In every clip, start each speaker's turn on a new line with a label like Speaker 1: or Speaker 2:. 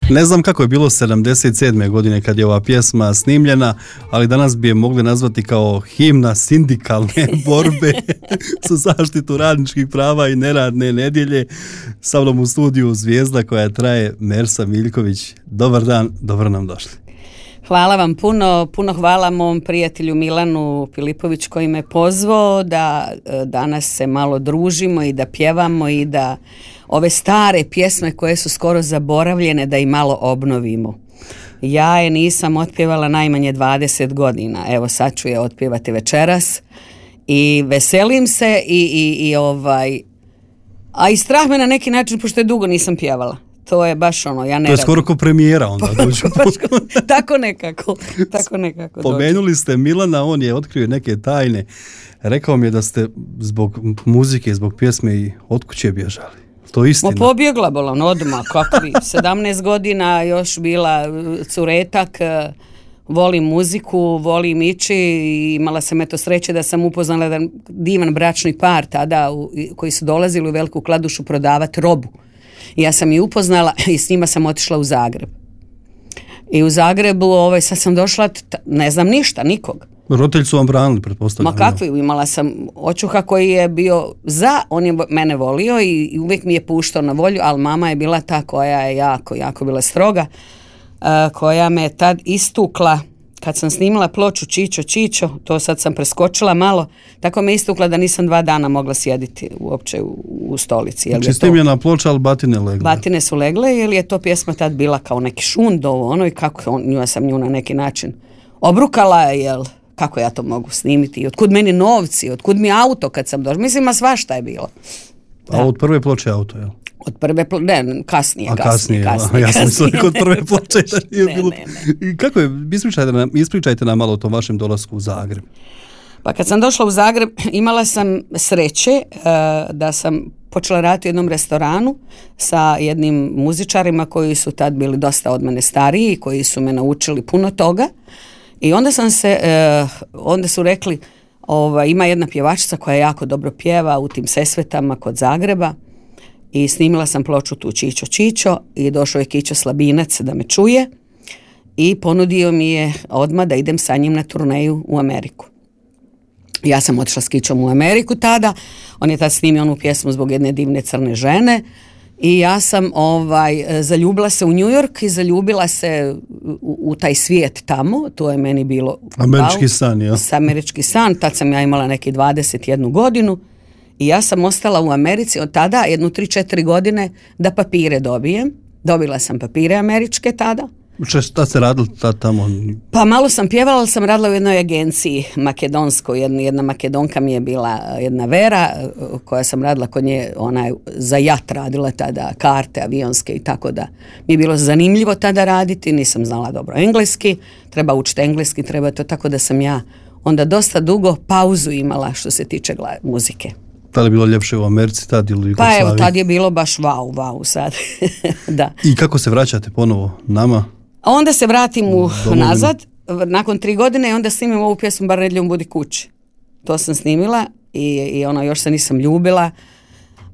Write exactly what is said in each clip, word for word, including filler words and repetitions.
Speaker 1: Ne znam kako je bilo sedamdeset sedme godine kad je ova pjesma snimljena, ali danas bi je mogli nazvati kao himna sindikalne borbe za zaštitu radničkih prava i neradne nedjelje. Sa mnom u studiju Zvijezda koja traje, Mersa Miljković. Dobar dan, dobro nam došli.
Speaker 2: Hvala vam puno, puno hvala mom prijatelju Milanu Filipović koji me pozvao da danas se malo družimo i da pjevamo i da ove stare pjesme koje su skoro zaboravljene da i malo obnovimo. Ja je nisam otpjevala najmanje dvadeset godina, evo sad ću je otpjevati večeras i veselim se i, i, i ovaj, a i strah me na neki način pošto je dugo nisam pjevala. To je baš ono, ja ne
Speaker 1: To je skoro ko premijera onda.
Speaker 2: tako nekako, tako nekako.
Speaker 1: Pomenuli ste Milana, on je otkrio neke tajne. Rekao mi je da ste zbog muzike, zbog pjesme i od kuće bježali. To je istina.
Speaker 2: Ma pobjegla bolan odmah, kakvi, sedamnaest godina još bila curetak, volim muziku, volim ići i imala sam eto sreće da sam upoznala jedan divan bračni par tada u, koji su dolazili u Veliku Kladušu prodavati robu. Ja sam i upoznala i s njima sam otišla u Zagreb. I u Zagrebu, ovaj, sad sam došla, ne znam ništa, nikog.
Speaker 1: Roditelji su vam branili, pretpostavljam.
Speaker 2: Ma kakvi, imala sam očuha koji je bio za, on je mene volio i, i uvijek mi je puštao na volju, ali mama je bila ta koja je jako, jako bila stroga, uh, koja me tad istukla. Kad sam snimila ploču Čičo, Čičo, to sad sam preskočila malo, tako me istukla da nisam dva dana mogla sjediti uopće u, u stolici.
Speaker 1: Znači snimljena ploča, ali batine legle.
Speaker 2: Batine su legle, jer je to pjesma tad bila kao neki šund ovo, ono i kako on, nju sam nju na neki način obrukala, jel, kako ja to mogu snimiti i otkud meni novci, otkud mi auto kad sam došla, mislim, a svašta je bilo.
Speaker 1: Da. A od prve ploče auto, jel?
Speaker 2: Od prve ploče, ne, kasnije,
Speaker 1: a kasnije,
Speaker 2: kasnije, kasnije.
Speaker 1: Ja sam mislila kod prve ploče da nije
Speaker 2: ne,
Speaker 1: bilo.
Speaker 2: Ne, ne.
Speaker 1: I kako je, ispričajte nam, ispričajte nam malo o tom vašem dolasku u Zagreb.
Speaker 2: Pa kad sam došla u Zagreb, imala sam sreće uh, da sam počela raditi u jednom restoranu sa jednim muzičarima koji su tad bili dosta od mene stariji, koji su me naučili puno toga. I onda sam se, uh, onda su rekli, ovaj, ima jedna pjevačica koja jako dobro pjeva u tim Sesvetama kod Zagreba. I snimila sam ploču tu Čičo, Čičo i došao je Kićo Slabinac da me čuje i ponudio mi je odmah da idem sa njim na turneju u Ameriku. Ja sam otišla s Kićom u Ameriku tada, on je tad snimio onu pjesmu zbog jedne divne crne žene i ja sam ovaj, zaljubila se u New York i zaljubila se u, u taj svijet tamo, to je meni bilo
Speaker 1: američki
Speaker 2: wow,
Speaker 1: san, ja.
Speaker 2: Američki san, tad sam ja imala neki dvadeset jednu godinu. I ja sam ostala u Americi od tada jednu tri četiri godine da papire dobijem. Dobila sam papire američke tada.
Speaker 1: Šta ste radili tad tamo?
Speaker 2: Pa malo sam pjevala, ali sam radila u jednoj agenciji makedonskoj. Jedna, jedna Makedonka mi je bila jedna Vera, koja sam radila kod nje, ona je za jat radila tada, karte avionske i tako da. Mi je bilo zanimljivo tada raditi, nisam znala dobro engleski, treba učiti engleski, treba to, tako da sam ja onda dosta dugo pauzu imala što se tiče gla- muzike.
Speaker 1: Da li je bilo ljepše u Americi tad ili u Jugoslaviji?
Speaker 2: Pa evo, tad je bilo baš wow, wow sad. Da.
Speaker 1: I kako se vraćate ponovo nama?
Speaker 2: A onda se vratim u nazad, nakon tri godine i onda snimim ovu pjesmu Bar nedjeljom budi kući. To sam snimila i, i ono, još se nisam ljubila,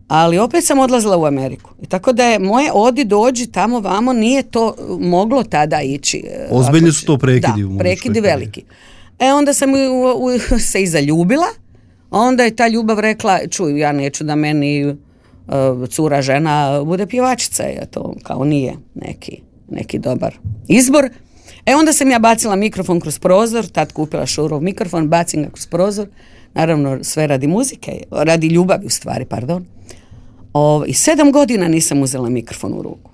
Speaker 2: ali opet sam odlazila u Ameriku. I tako da je moje odi, dođi, tamo, vamo, nije to moglo tada ići.
Speaker 1: Ozbiljni su to prekidi.
Speaker 2: Da, prekidi veliki. E onda sam u, u, se i zaljubila. Onda je ta ljubav rekla, čuj, ja neću da meni uh, cura žena bude pjevačica, je to kao nije neki, neki dobar izbor. E onda sam ja bacila mikrofon kroz prozor, tad kupila Šurov mikrofon, bacim ga kroz prozor, naravno sve radi muzike, radi ljubavi u stvari, pardon. O, I sedam godina nisam uzela mikrofon u ruku.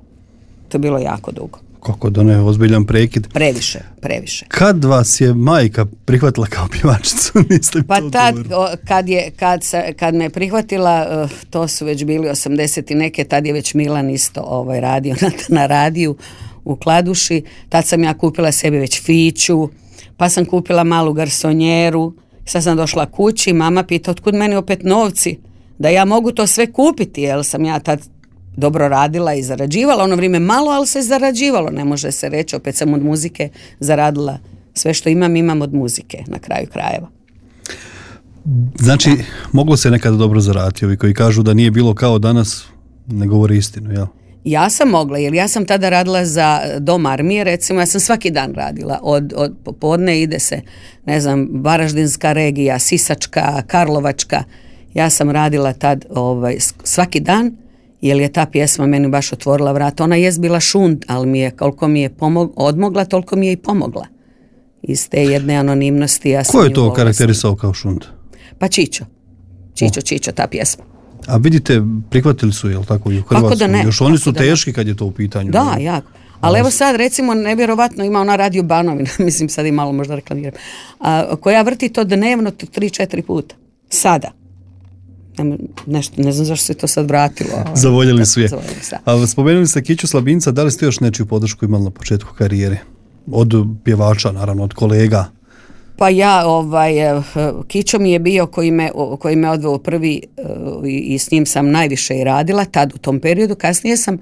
Speaker 2: To je bilo jako dugo.
Speaker 1: Kako da ne, ozbiljan prekid.
Speaker 2: Previše, previše.
Speaker 1: Kad vas je majka prihvatila kao pjevačicu? Niste
Speaker 2: pa
Speaker 1: to
Speaker 2: tad, o, kad, je, kad, se, kad me prihvatila, uh, to su već bili osamdeset i neke, tad je već Milan isto ovaj, radio na, na radiju u Kladuši. Tad sam ja kupila sebi već fiću, pa sam kupila malu garsonjeru. Sad sam došla kući, mama pita otkud meni opet novci, da ja mogu to sve kupiti, jer sam ja tad dobro radila i zarađivala, ono vrijeme malo, ali se zarađivalo, ne može se reći, opet sam od muzike zaradila, sve što imam, imam od muzike na kraju krajeva.
Speaker 1: Znači, moglo se nekada dobro zaraditi, ovi koji kažu da nije bilo kao danas, ne govore istinu, jel?
Speaker 2: Ja sam mogla, jer ja sam tada radila za dom armije, recimo, ja sam svaki dan radila, od, od popodne ide se, ne znam, Varaždinska regija, Sisačka, Karlovačka, ja sam radila tad ovaj, svaki dan, jer je ta pjesma meni baš otvorila vrata. Ona jest bila šund, ali mi je, koliko mi je pomog, odmogla, toliko mi je i pomogla. Iz te jedne anonimnosti. Ja
Speaker 1: Ko je to karakterisao kao šund?
Speaker 2: Pa Čičo. Čičo, oh. Čičo, ta pjesma.
Speaker 1: A vidite, prihvatili su, jel tako, i u Hrvatskoj?
Speaker 2: Kako da ne?
Speaker 1: Još oni su
Speaker 2: Kako
Speaker 1: teški kad je to u pitanju.
Speaker 2: Da, ne? Jako. Ali evo sad, recimo, nevjerovatno ima ona Radio Banovina, mislim sad i malo možda reklamiram, a, koja vrti to dnevno tri četiri puta. Sada. Nešto, ne znam zašto se to sad vratilo. Ovaj,
Speaker 1: Zavoljeli su je. Ali spomenuli ste Kiću Slabinca, da li ste još nečiju podršku imali na početku karijere? Od pjevača, naravno, od kolega?
Speaker 2: Pa ja, ovaj, Kićo mi je bio koji me, koji me odveo prvi i, i s njim sam najviše i radila, tad u tom periodu. Kasnije sam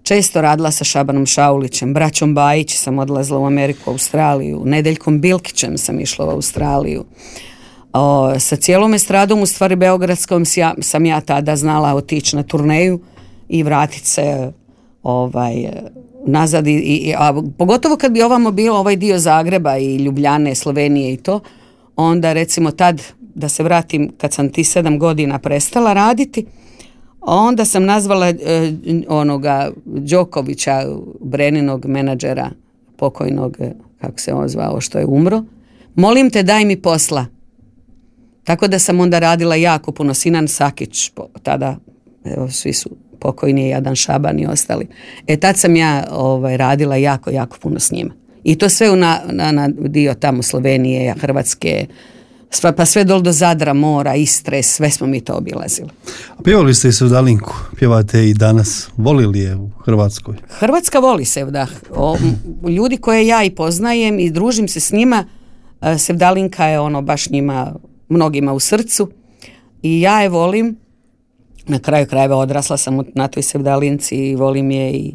Speaker 2: često radila sa Šabanom Šaulićem, braćom Bajić sam odlazila u Ameriku, Australiju, Nedeljkom Bilkićem sam išla u Australiju. O, sa cijelom estradom, u stvari beogradskom, ja, sam ja tada znala otići na turneju i vratiti se ovaj, nazad. I, i, a pogotovo kad bi ovamo bilo ovaj dio Zagreba i Ljubljane, Slovenije i to, onda recimo tad, da se vratim, kad sam ti sedam godina prestala raditi, onda sam nazvala eh, onoga Đokovića, Breninog menadžera, pokojnog, kako se on zvao, što je umro, molim te daj mi posla. Tako da sam onda radila jako puno, Sinan Sakić, tada evo, svi su pokojni, Jadan Šaban i ostali. E tad sam ja ovaj, radila jako, jako puno s njima. I to sve na, na, na dio tamo Slovenije, Hrvatske, sva, pa sve dol do Zadra, Mora, Istre, sve smo mi to obilazili.
Speaker 1: A pjevali ste i Sevdalinku, pjevate i danas, volili je u Hrvatskoj?
Speaker 2: Hrvatska voli Sevdah. O, ljudi koje ja i poznajem i družim se s njima, Sevdalinka je ono baš njima, mnogima u srcu i ja je volim, na kraju krajeva odrasla sam na toj Sevdalinci i volim je i,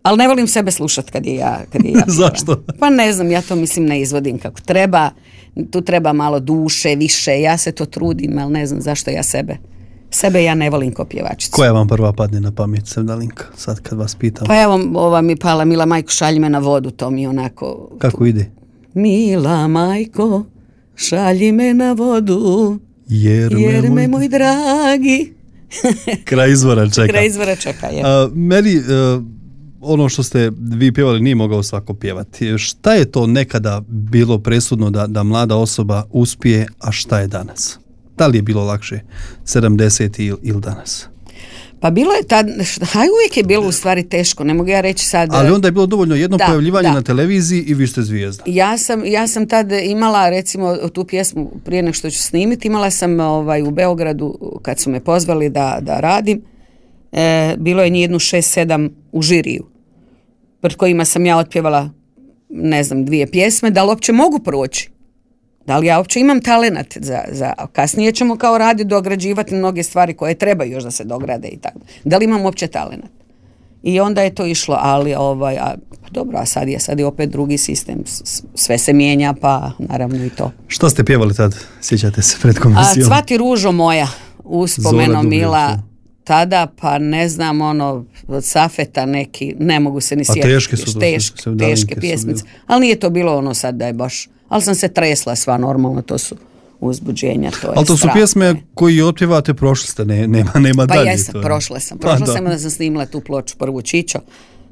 Speaker 2: ali ne volim sebe slušati kad je ja, kad je ja
Speaker 1: Zašto?
Speaker 2: Pa ne znam, ja to mislim ne izvodim kako treba, tu treba malo duše, više, ja se to trudim, ali ne znam zašto ja sebe sebe ja ne volim ko pjevačicu.
Speaker 1: Koja vam prva padne na pamet, Sevdalinka, sad kad vas pitam?
Speaker 2: Pa evo, ova mi pala, Mila majko, šalji me na vodu, to mi onako...
Speaker 1: Kako ide?
Speaker 2: Mila majko, šalji me na vodu, jer me, jer me moj dragi.
Speaker 1: Kraj izvora čeka.
Speaker 2: Kraj izvora čeka, je.
Speaker 1: A, meni, a, ono što ste vi pjevali nije mogao svako pjevati. Šta je to nekada bilo presudno da, da mlada osoba uspije, a šta je danas? Da li je bilo lakše sedamdeseti ili, ili danas?
Speaker 2: Pa bilo je tad, haj uvijek je bilo u stvari teško, ne mogu ja reći sad...
Speaker 1: Ali onda je bilo dovoljno jedno
Speaker 2: da,
Speaker 1: pojavljivanje
Speaker 2: da.
Speaker 1: na televiziji i vi ste zvijezda.
Speaker 2: Ja sam, ja sam tad imala, recimo, tu pjesmu prije nego što ću snimiti, imala sam ovaj, u Beogradu, kad su me pozvali da, da radim, e, bilo je jednu šest sedam u žiriju, pred kojima sam ja otpjevala, ne znam, dvije pjesme, da li uopće mogu proći? Da li ja uopće imam talenat za, za, kasnije ćemo kao radi dograđivati mnoge stvari koje trebaju još da se dograde i tako. Da li imam uopće talenat? I onda je to išlo, ali ovaj, a, dobro, a sad je, sad je opet drugi sistem, sve se mijenja, pa naravno i to.
Speaker 1: Što ste pjevali tad, sjećate se pred komisijom?
Speaker 2: A, Cvati ružo moja, uspomeno Mila, tada, pa ne znam, ono, od Safeta neki, ne mogu se ni sjetiti.
Speaker 1: A teške su
Speaker 2: teške,
Speaker 1: to,
Speaker 2: teške pjesmice, ali nije to bilo ono sad da je baš, ali sam se tresla sva normalno, to su uzbuđenja, to je
Speaker 1: ali to su
Speaker 2: strah.
Speaker 1: Pjesme koji otpjevate, prošli ste, ne, nema, nema
Speaker 2: pa
Speaker 1: dalje.
Speaker 2: Pa jesam,
Speaker 1: to je.
Speaker 2: prošla sam, prošla
Speaker 1: pa,
Speaker 2: sam da sam snimila tu ploču prvu Čičo,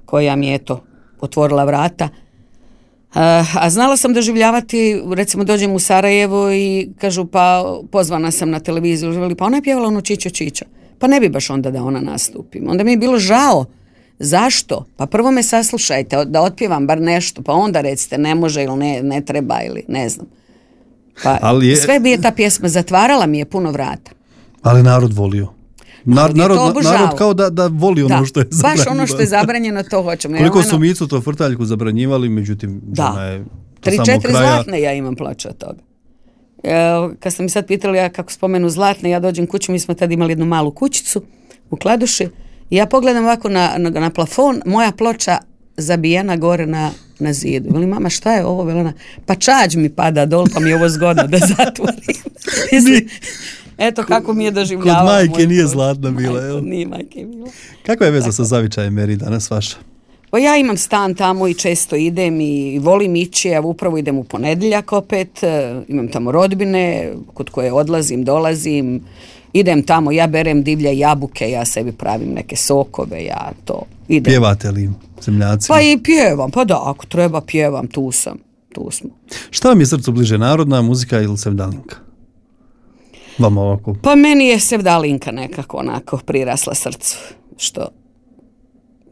Speaker 2: koja mi je to otvorila vrata. Uh, a znala sam doživljavati, recimo dođem u Sarajevo i kažu pa pozvana sam na televiziju, pa ona je pjevala ono Čičo Čičo. Pa ne bi baš onda da ona nastupi. Onda mi je bilo žao. Zašto? Pa prvo me saslušajte, da otpjevam bar nešto, pa onda recite ne može ili ne, ne treba ili ne znam. Pa ali je, sve bi je ta pjesma zatvarala, mi je puno vrata.
Speaker 1: Ali narod volio. Nar, narod, narod kao da, da voli ono
Speaker 2: da,
Speaker 1: što je zabranjeno.
Speaker 2: Baš ono što je zabranjeno, to hoćemo.
Speaker 1: Koliko
Speaker 2: ja,
Speaker 1: su Micu to Frtaljku zabranjivali, međutim,
Speaker 2: da.
Speaker 1: žena je
Speaker 2: tri četiri zlatne ja imam ploče od toga. E, kad ste mi sad pitali ja kako spomenu zlatne, ja dođem kući, mi smo tad imali jednu malu kućicu u Kladuši i ja pogledam ovako na, na, na plafon, moja ploča zabijena gore na, na zidu. Veli, mama, šta je ovo? Velena, pa čađ mi pada dol, pa mi je ovo zgodno da zatvorim. Mislim, Eto kako mi je doživljavao.
Speaker 1: Kod majke nije zlatna bila,
Speaker 2: Majko,
Speaker 1: jel?
Speaker 2: Nije majke bila.
Speaker 1: Kakva je veza
Speaker 2: Tako.
Speaker 1: sa zavičajem Meri danas vaša?
Speaker 2: Pa ja imam stan tamo i često idem i volim ići, ja upravo idem u ponedjeljak opet, e, imam tamo rodbine kod koje odlazim, dolazim, idem tamo, ja berem divlje jabuke, ja sebi pravim neke sokove, ja to idem.
Speaker 1: Pjevate li zemljacima?
Speaker 2: Pa i pjevam, pa da, ako treba pjevam, tu sam, tu smo.
Speaker 1: Šta vam je srcu bliže, narodna muzika ili sevdalinka? Vama ovako.
Speaker 2: Pa meni je sevdalinka nekako onako prirasla srcu, što...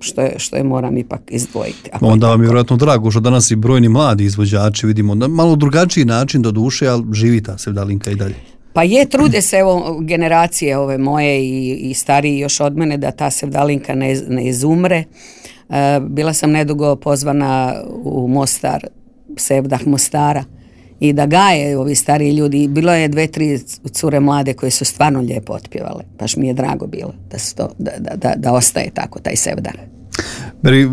Speaker 2: Što je, što je moram ipak izdvojiti. Ako
Speaker 1: Onda vam je vjerojatno drago što danas i brojni mladi izvođači vidimo na malo drugačiji način do duše, ali živi ta sevdalinka i dalje.
Speaker 2: Pa je, trude se evo generacije ove moje i, i stariji još od mene da ta sevdalinka ne, ne izumre. E, bila sam nedugo pozvana u Mostar, Sevdah Mostara, i da gaje ovi stariji ljudi. Bilo je dve, tri cure mlade koje su stvarno lijepo otpjevale. Baš mi je drago bilo da, su to, da, da, da, da ostaje tako taj sevdah.
Speaker 1: Meri,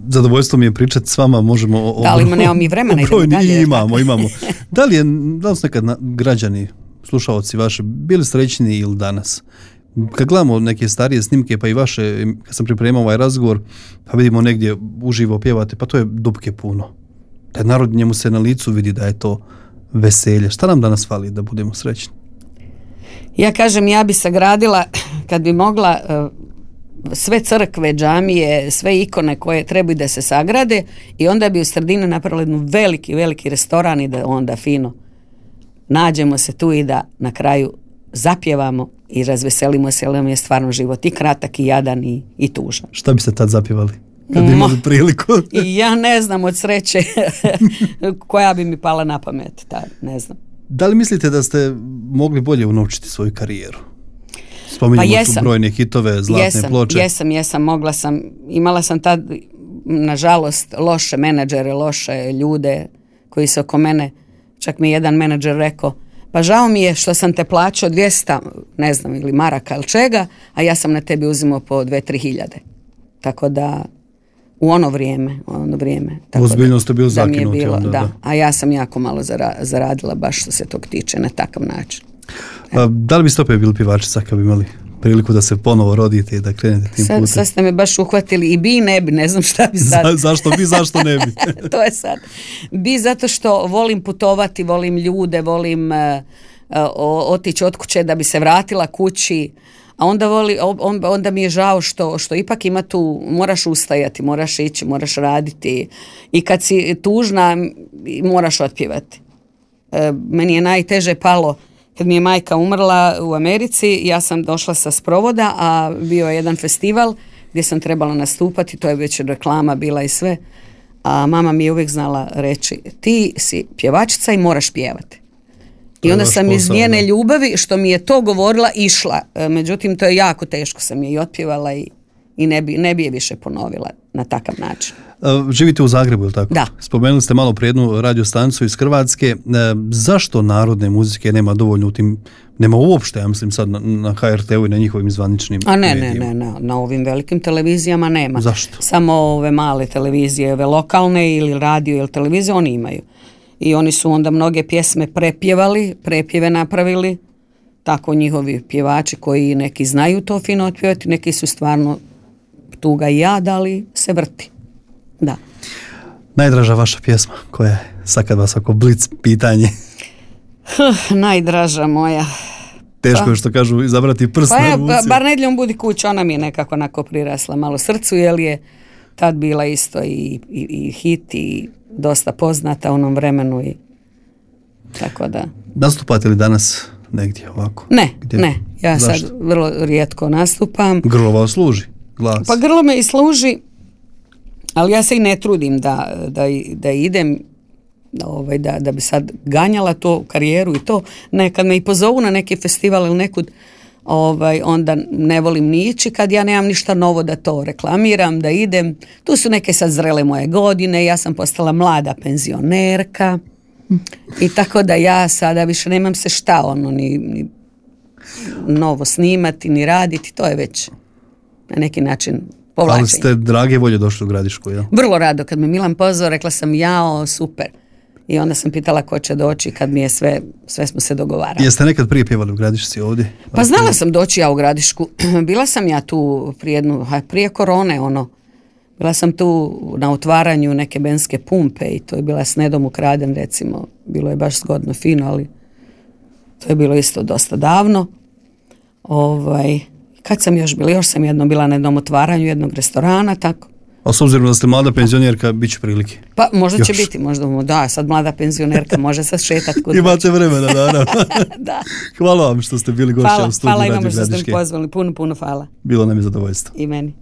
Speaker 1: zadovoljstvo mi je pričati s vama, možemo o,
Speaker 2: da li ima, nemamo mi vremena, idemo dalje.
Speaker 1: Imamo, imamo. Da li, je, da li su nekad na, građani, slušalci vaše, bili srećni ili danas? Kad gledamo neke starije snimke, pa i vaše, kad sam pripremao ovaj razgovor, pa vidimo negdje uživo pjevate, pa to je dupke puno. Taj narod, njemu se na licu vidi da je to veselje. Šta nam danas fali da budemo srećni?
Speaker 2: Ja kažem, ja bi sagradila, kad bi mogla, sve crkve, džamije, sve ikone koje trebaju da se sagrade i onda bi u sredini napravili jednu veliki, veliki restoran i da onda fino nađemo se tu i da na kraju zapjevamo i razveselimo se, jer nam je stvarno život i kratak i jadan i, i tužan.
Speaker 1: Šta biste tad zapjevali? Kad bi imali priliku.
Speaker 2: I ja ne znam od sreće koja bi mi pala na pamet, ta, ne znam.
Speaker 1: Da li mislite da ste mogli bolje unovčiti svoju karijeru? Spominjamo
Speaker 2: pa jesam,
Speaker 1: tu brojne hitove, zlatne
Speaker 2: jesam,
Speaker 1: ploče.
Speaker 2: Jesam, jesam, mogla sam, imala sam tad, nažalost, loše menadžere, loše ljude koji su oko mene, čak mi je jedan menadžer rekao, pa žao mi je što sam te plaćao dvjesto, ne znam, ili maraka ili čega, a ja sam na tebi uzimao po dve, tri hiljade. Tako da, u ono vrijeme, u ono vrijeme. Tako
Speaker 1: Ozbiljno ste bili
Speaker 2: da mi je
Speaker 1: zakinuti
Speaker 2: bilo,
Speaker 1: onda,
Speaker 2: da.
Speaker 1: da.
Speaker 2: A ja sam jako malo zara, zaradila baš što se tog tiče na takav način.
Speaker 1: A, da li biste opet bili pjevačica kad bi imali priliku da se ponovo rodite i da krenete tim
Speaker 2: sad,
Speaker 1: putem?
Speaker 2: sad ste me baš uhvatili i bi i ne bi, ne znam šta bi sad.
Speaker 1: Za, zašto bi, zašto ne bi?
Speaker 2: To je sad. Bi zato što volim putovati, volim ljude, volim uh, uh, otići od kuće da bi se vratila kući, a onda, voli, on, onda mi je žao što, što ipak ima tu, moraš ustajati, moraš ići, moraš raditi i kad si tužna moraš otpjevati. Uh, meni je najteže palo kad mi je majka umrla u Americi, ja sam došla sa sprovoda, a bio je jedan festival gdje sam trebala nastupati, to je već reklama bila i sve, a mama mi je uvijek znala reći, ti si pjevačica i moraš pjevati. I onda sam iz njene ljubavi, što mi je to govorila, išla. Međutim, to je jako teško, sam je i otpjevala i, i ne, bi, ne bi je više ponovila na takav način.
Speaker 1: Živite u Zagrebu, ili tako?
Speaker 2: Da.
Speaker 1: Spomenuli ste malo prije jednu radiostanicu iz Hrvatske. Zašto narodne muzike nema dovoljno u tim, nema uopšte, ja mislim sad na, na H R T-u i na njihovim zvaničnim
Speaker 2: A ne,
Speaker 1: medijima?
Speaker 2: ne, ne, ne, na ovim velikim televizijama nema.
Speaker 1: Zašto?
Speaker 2: Samo ove male televizije, ove lokalne ili radio ili televizije, oni imaju. I oni su onda mnoge pjesme prepjevali, prepjeve napravili, tako njihovi pjevači koji neki znaju to fino otpjevati, neki su stvarno tuga i jad, ali se vrti. Da.
Speaker 1: Najdraža vaša pjesma, koja je, sad kad vas ako blic pitanje?
Speaker 2: Huh, najdraža moja.
Speaker 1: Teško
Speaker 2: pa,
Speaker 1: je što kažu izabrati prst
Speaker 2: pa
Speaker 1: na
Speaker 2: ja,
Speaker 1: ruci.
Speaker 2: Pa, bar nedjeljom budi kuća, ona mi je nekako onako prirasla malo srcu, jer je tad bila isto i, i, i hit i dosta poznata u onom vremenu i tako da.
Speaker 1: Nastupate li danas negdje ovako?
Speaker 2: Ne,
Speaker 1: Gdje?
Speaker 2: ne. Ja
Speaker 1: Zašto?
Speaker 2: sad vrlo rijetko nastupam.
Speaker 1: Grlo vam služi, glas.
Speaker 2: Pa grlo me i služi, ali ja se i ne trudim da, da, da idem, ovaj, da, da bi sad ganjala to karijeru i to. Ne, kad me i pozovu na neki festival ili nekud, ovaj, onda ne volim ni ići kad ja nemam ništa novo da to reklamiram, da idem. Tu su neke sad zrele moje godine, ja sam postala mlada penzionerka i tako da ja sada više nemam se šta ono ni, ni novo snimati, ni raditi, to je već na neki način povlačenje.
Speaker 1: Ali ste drage volje došli u Gradišku, jel?
Speaker 2: Vrlo rado, kad me Milan pozvao, rekla sam jao, super. I onda sam pitala ko će doći kad mi je sve, sve smo se dogovarali.
Speaker 1: Jeste nekad prije pjevali u Gradišci ovdje?
Speaker 2: Pa znala sam doći ja u Gradišku. Bila sam ja tu prije, jednu, prije korone, ono. Bila sam tu na otvaranju neke benske pumpe i to je bila s Nedom Ukraden, recimo. Bilo je baš zgodno, fino, ali to je bilo isto dosta davno. Ovaj, kad sam još bila? Još sam jednom bila na jednom otvaranju jednog restorana, tako.
Speaker 1: A s obzirom da ste mlada penzionerka, bit će prilike.
Speaker 2: Pa možda
Speaker 1: još.
Speaker 2: će biti, možda, da, sad mlada penzionerka može sad šetat kod.
Speaker 1: Imate vremena, naravno.
Speaker 2: Da.
Speaker 1: Hvala vam što ste bili gošća u studiju Radio Gradiške.
Speaker 2: Hvala, hvala imamo što ste mi pozvali, puno, puno hvala.
Speaker 1: Bilo nam je zadovoljstvo.
Speaker 2: I meni.